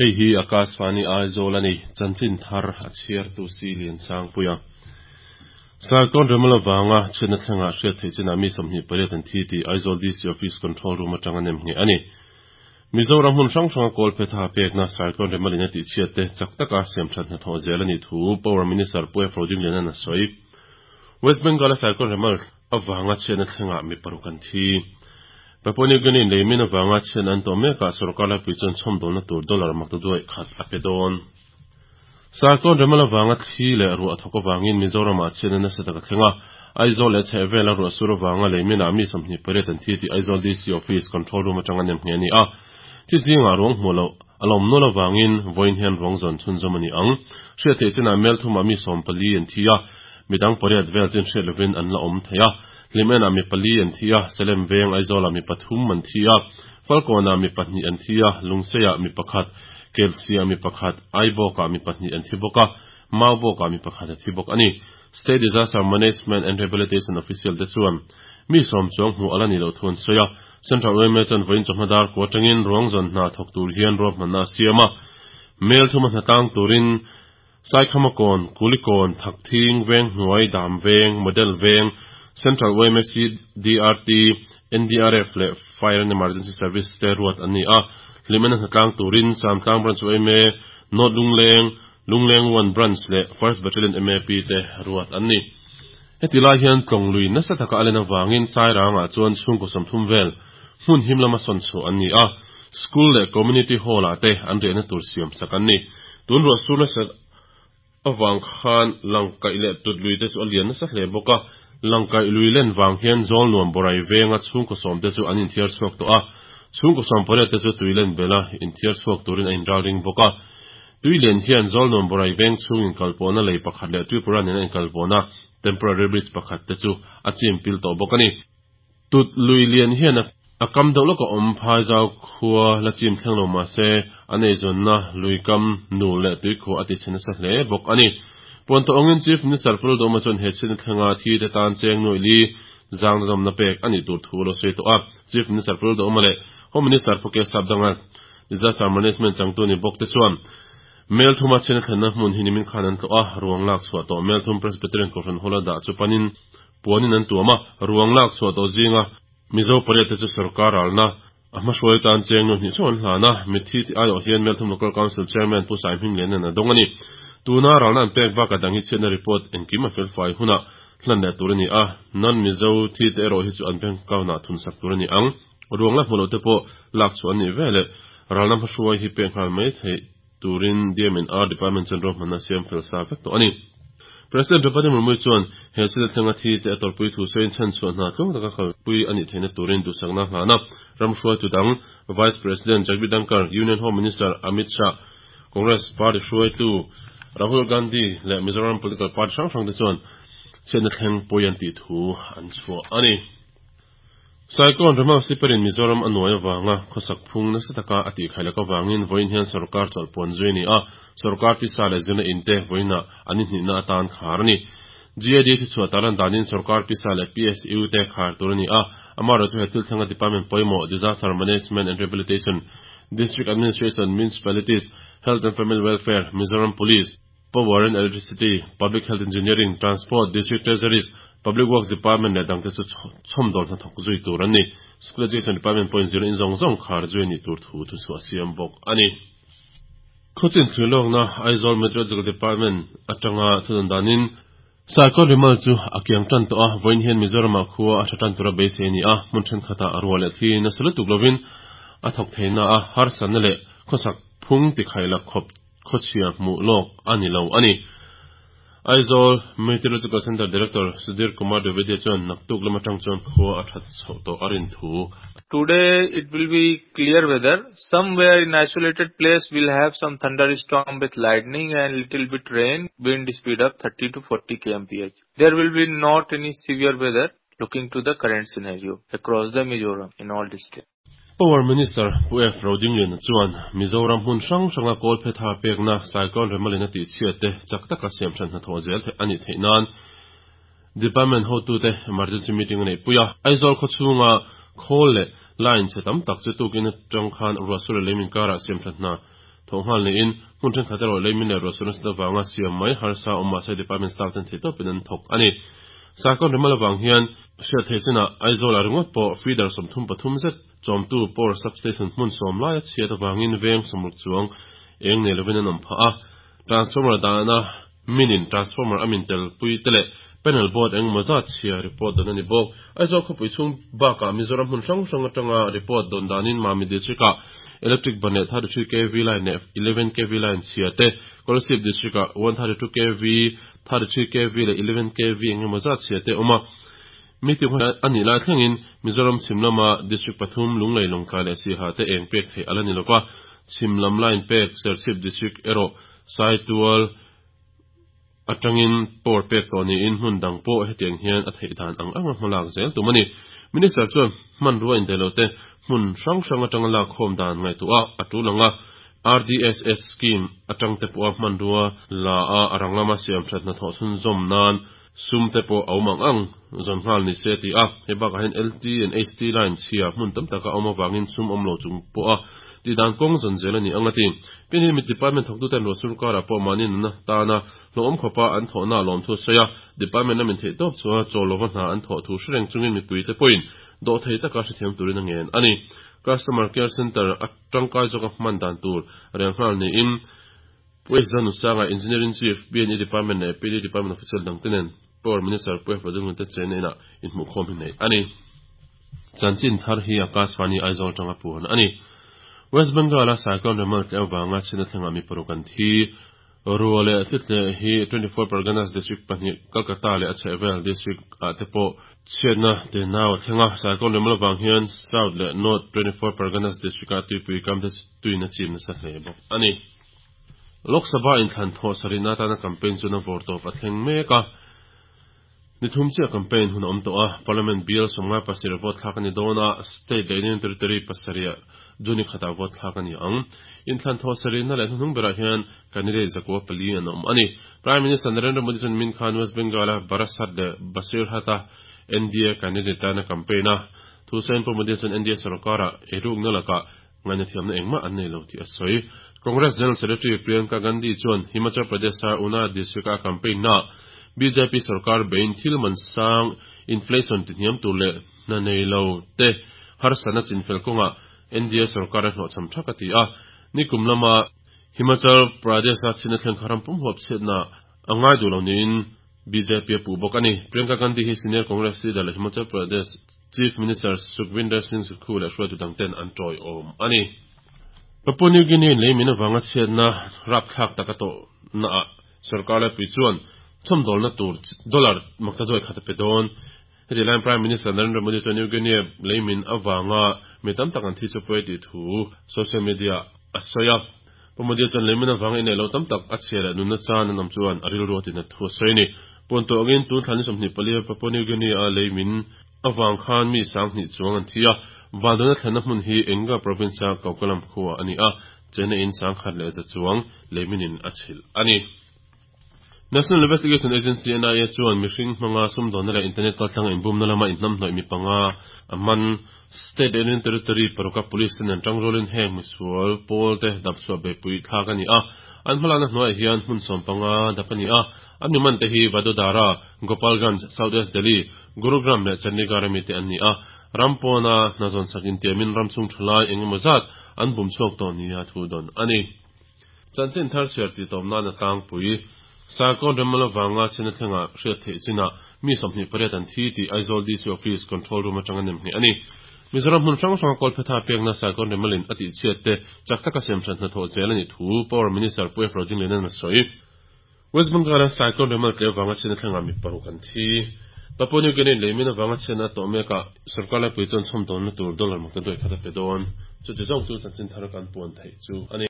Hei hi Akashvani Aizawl a ni, chanchin thar a chhiartu si Liansangpuia. Cyclone Remal avanga chhiatna thlengah hriat theih chinah mi 28 an thi tih Aizawl DC Office Control Room atanga nem ngheh a ni. Mizoram hmun hrang hranga kawl phetha pekna Cyclone Remal-in a tihchhiat te chak taka siamthat hnathawh zel a nih thu Power Minister Pu F. Rodingliana'n a sawi. West Bengal-a Cyclone Remal avanga chhiatna thlengah mi paruk an thi. Papua New Guinea leimin avanga chhiatna an tawh mekah sorkar laipui chuan chhawmdawlna tur dollar maktaduaih khat a pe dawn. Cyclone Remal avanga thli leh ruah thawk avangin Mizoramah chhiatna nasa tak a thleng a. Aizawl leh chhehvela ruah sur avanga leiminah mi 28 an thi tih Aizawl DC Office Control Room atanga nem ngheh a ni a. Thi zingah ruang hmuh loh a lawm nual avangin vawiin hian ruang zawn chhunzawm a ni ang. Hriat theih chinah mel thumah mi 14 an thi a, midang pariat vel chin hriat lovin an la awm thei a. Hlimenah mi pali an thi a, Salem veng Aizawlah mi pathum an thi a, Falkawnah mi pahnih an thi a, Lungseiah mi pakhat, Kelsiah mi pakhat, Aibawkah mi pahnih an thi bawk a, Maubawkah mi pakhat a thi bawk a ni. State Disaster Management and Rehabilitation official te chuan mi sawm chuang hmuh a la nih loh thu an sawi a. Central yma chuan vawiin chawhma dar kua atangin ruang zawn hna thawk tur hian ruahmanna a siam a. Mel thuma hnatlang turin Saikhamakawn, Kulikawn, Thakthing, Venghnuai, Damveng, Model Veng, Central yma CDRT, NDRF leh Fire and Emergency Service te ruat an ni a. Hlimena hnatlang turin Samtlang Branch yma, North Lungleng, Lungleng One Branch leh First Battalion MAP te ruat an ni. Heti lai hian tlawng lui nasa taka a len avangin Sairangah chuan chhungkaw 30 vel hmun him lama sawn chhuah an ni a, School leh Community Hall-ah te an riahna tur siam sak an ni. Tun ruah sur nasa avang khan Langkaih leh Tut lui te chu a lian nasa hle bawk a, Langkaih lui len vang hian Zawlnuam Borai venga chhungkaw sawm te chu an inthiar chhuak tawh a, chhungkaw 18 te chu tui len bela inthiar chhuak turin a inralring bawk a. Tui lian hian Zawlnuam Borai veng chhung inkalpawhna lei pakhat leh Tripura nena inkalpawhna temporary bridge pakhat te chu a chim pil tawh bawk a ni. Tut lui lian hian a kam deuh lawk a awm phai zau khua la chim thleng lo mah se a neizawnna lui kam nu leh tuikhuah a tichhe nasa hle bawk a ni. Puantawh awngin Chief Minister Pu Lalduhoma chuan he chhiatna thlenga thi te tan cheng nuaih li zangna dawmna pek a nih tur thu a lo sawi tawh a. Chief Minister Pu Lalduhoma leh Home Minister Pu K Sapdanga Disaster Management changtu ni bawk te chuan Mel thuma chhiatna thlenna hmun hi nimin khan an tlawh a, ruang lak chhuah tawh Mel thum Presbyterian Kohhran Hall a dah chu panin puanin an tuam a, ruang lak chhuah tawh zinga Mizo pariat te chu sorkar ralna a hmahruai tan cheng nu hnih chauh an hlan a, mitthi tih aiawh hian Melthum Local Council Chairman Pu Saihming Lianan a dawng a ni. Tuna ralna an pek bakah dang hi chhiatna report engkim a felfai hunah hlan leh tur a ni a, non-Mizo thi te erawh hi chu an bank account-ah thunsak tur a ni ang. Ruang la hmu loh te pawh lak chhuah an nih veleh ralna hmahruai hi pek nghal mai theih turin DMNR Department chuan ruahmanna a siam fel sa vek tawh a ni. President Draupadi Murmu chuan he chhila thlenga thi te a tawrhpui thu sawiin chhanchhuah hna tluang taka kalpui a nih theihna turin duhsakna a hlan a. Ram hruaitu dang Vice President Jagdeep Dhankhar, Union Home Minister Amit Shah, Congress Party hruaitu Rahul Gandhi leh Mizoram political party hrang hrang te chuan chhiatna thleng pawi an tih thu an chhuah a ni. Cyclone Remal siparin Mizoram a nuai avanga khawsak phung nasa taka a tihkhaih lak avangin vawiin hian sorkar chawlh puan zui a ni a, sorkar pisa leh zirna in te vawiinah an inhnihna atan khar a ni. GAD thuchhuah tarlan danin sorkar pisa leh PSU te khar tur a ni a, amaherawhchu he thil thlenga department pawimawh Disaster Management and Rehabilitation, District Administration, Municipalities, Health and Family Welfare, Mizoram Police, Power and Electricity, Public Health Engineering, Transport, District Treasuries, Public Works Department leh dangte chu chhawmdawl hnathawk zui tur an ni. School Education Department pawhin zirna in zawng zawng khar zui a nih tur thu thuchhuah a siam bawk a ni. Khawchin thlir lawkna Aizawl Meteorological Department atanga thudawn danin Cyclone Remal chu a kiang tan tawh a, vawiin hian Mizoramah khua a tha tan tura beisei a ni a, hmun thenkhatah ruah leh thli nasa lutuk lovin a thawk theihna a, harsatna leh khawsak phung tikhaih khawp khawchhia hmuh lawk a ni lo a ni. Aizawl Meteorological Centre Director Sudhir Kumar Dwivedi chuan naktuk lam atang chuan khua a that chhoh tawh a rin thu. Today it will be clear weather. Somewhere in isolated place will have some thunderstorm with lightning and little bit rain, wind speed of 30 to 40 kmph. There will be not any severe weather looking to the current scenario across the Mizoram in all districts. Power Minister Pu F. Rodingliana chuan Mizoram hmun hrang hranga kawl phetha pekna Cyclone Remalin a tihchhiat te chak taka siam hran hnathawh zel theih a nih theih nan Department hotute emergency meeting a neih pui a. Aizawl khawchhunga khawl leh line chhe tam tak chu tukin atang khan ruah sur leh lei minkarah siam hran hna. thawh nghal niin hmun thenkhat erawh leimin leh ruahsur nasat avanga siam mai harsa awm mahse department staff ten theihtawpin an thawk a ni. Cyclone Remal avang hian hriat theih chinah Aizawlah ringawt pawh feeder 33 zet chawmtu power substation hmun sawm laia chhiat avangin veng 60 chuang eng nei lovin an awm phah a. Transformer dahna minin transformer a min tel pui te leh panel board engemaw zat chhia report dawn a ni bawk. Aizawl khawpui chhung bakah Mizoram hmun hrang hrang atanga report dawn danin Mami District-ah electric ban leh 33 kv line leh 11 kv line chhia te, Kolasib District-ah 132 kv, 33 kv leh 11 kv engemaw zat chhia te awm a. Meeting hun a nih lai thlengin Mizoram chhim lama District pathum Lunglei, Lawngtlai leh Siaha te eng pek theih a la ni lova, chhim lam line pek Serchhip District erawh Saitual atangin power pek tawh niin hmun dang pawh hetiang hian a theih dan ang anga hmalak zel tum a ni. Minister chuan hmanrua indaih lo te hmun hrang hrang atanga lak khawm dan ngaihtuah a tul ang a, RDSS scheme atang te pawha hmanrua la a a rang lama siam that hnathawh chhunzawm nan sum te pawh a awm ang ang zawn nghal ni se a ti a. Hei bakah hian LT and HT line chhia hmun tam taka a awm avangin sum awm lo chung pawha tihdan kawng zawn zel a ni ang a ti. Pin hi mi department thawktuten ruah sur karah pawh mahni nunna tana hlawhawm khawpa an thawhna a lawmthu a sawi a, department lamin theih tawp chua chawl lova hna an thawh thu hre reng chungin mipuite pawhin dawhthei taka hrethiam turin a ngen a ni. Customer Care Centre a tangkai zawka hman dan tur rel nghal niin Pu Ezra Nusanga, Engineering Chief, BNE Department leh PD Department official dangte nen Power Minister Pu Efra Dungute chenna inah inhmuhkhawm hi neih a ni. Chanchin thar hi Akashvani Aizawl atanga puan a ni. West Bengal-a Cyclone Remal tleu vanga chhina thlengah mi paruk an thi. Ruah leh thlitleh hi 24 Parganas District pahnih Kolkata leh a chhehvel District ah te pawh chhiatna te nau a thleng a. Cyclone Remal avang hian South leh North 24 Parganas District ah tuipui kam te tuin a chim nasa hle bawk a ni. Lok Sabha inthlan thawh sarihna atana campaign chuan a vawrtawp a thleng mek a. Ni thum chiah campaign hun a awm tawh a, Parliament bial 57 vote thlak a ni dawn a, State leh Union Territory pasarih June khatah vote thlak a ni ang. Inthlan thawh sarihna leh hnuhnung berah hian candidate 94 an awm a ni. Prime Minister Narendra Modi chuan min khan West Bengal-a Barasat leh Basirhat-a NDA candidate tana campaign a. Thu sawiin Pu Modi chuan NDA sorkara eirukna lakah Ngaihna thiamna engmah an nei lo tih a sawi. Congress General Secretary Priyanka Gandhi chuan Himachal Pradesh-a Una district-a a campaign-naah bjp sorkar bein thil man sang, inflation tihniam tur leh hna nei lo te harsatna chinfel kawngah NDA sorkar a hlawhchham thak a ti a. Nikum lama Himachal Pradesh-a chhina thleng kha ram pum huap chhiatna a ngai duh lo niin bjp a puh bawk a ni. Priyanka Gandhi hi senior Congress leader leh Himachal Pradesh Chief Minister Sukhvinder Singh Sukhu leh hruaitu dangten an tawiawm a ni. Papua New Guinea lei min avanga chhiatna rapthlak tak a tawhnaah sorkar laipui chuan chhawmdawlna tur dollar maktaduai khat a pe dawn. Heti laiin Prime Minister Narendra Modi chuan New Guinea lei min avanga mi tam tak an thi chu pawi a tih thu social media a sawi a. Pu Modi chuan lei min avanga inneih loh tam tak a chhia leh nunna chan an awm chuan a rilru a tinat thu a sawi a ni. Puan tawh angin tun thla ni 24 a Papua New Guinea a lei min avang khan mi 2000 chuang an thi a, Vandana thlenna hmun hi Enga province-a Kaukalam khua a ni a, China in 1100 chuang leiminin a chhilh a ni. National Investigation Agency, NIA, chuan mihring hmanga sumdawnna leh internet kaltlanga inbumna lama inhnamhnawih mi panga a man. State leh Union Territory paruka police ten an tangrualin heng misual pawl te dapchhuah beihpui thlak a ni a, an hmalakna hnuaiah hian hmun 15 dap a ni a, an mi man te hi Vadodara, Gopalganj, South West Delhi, Gurugram leh Chandigarh ami te an ni a, ram pawna hna zawn sak intiamin ram chhung thalai eng emaw zat an bum chhuak tawh nia thu dawn a ni. Chanchin thar chhiar tih tawp nan a tlangpui. Sarkawn Remmal avanga chhina thlengah hriat theih chinah mi 28 an thi tih Aizawl DC Office Control Room atanga nem ngheh a ni. Mizoram hmun hrang hranga kawlphetha pekna Sarkawn Remmalin a tihchhiat te chak taka siamthat hnathawh zel a nih thu Power Minister Pu F. Rodingliana'n a sawi. West Bengal-a Cyclone Remal tleu vanga chhiatna thlengah mi paruk an thi. Papua New Guinea leimin avanga chhiatna a tawh mekah sorkar laipui chuan chhawmdawnna tur dollar maktaduai khat a pe dawn. Chuti zawng chu chanchin thar kan puan theih chu a ni.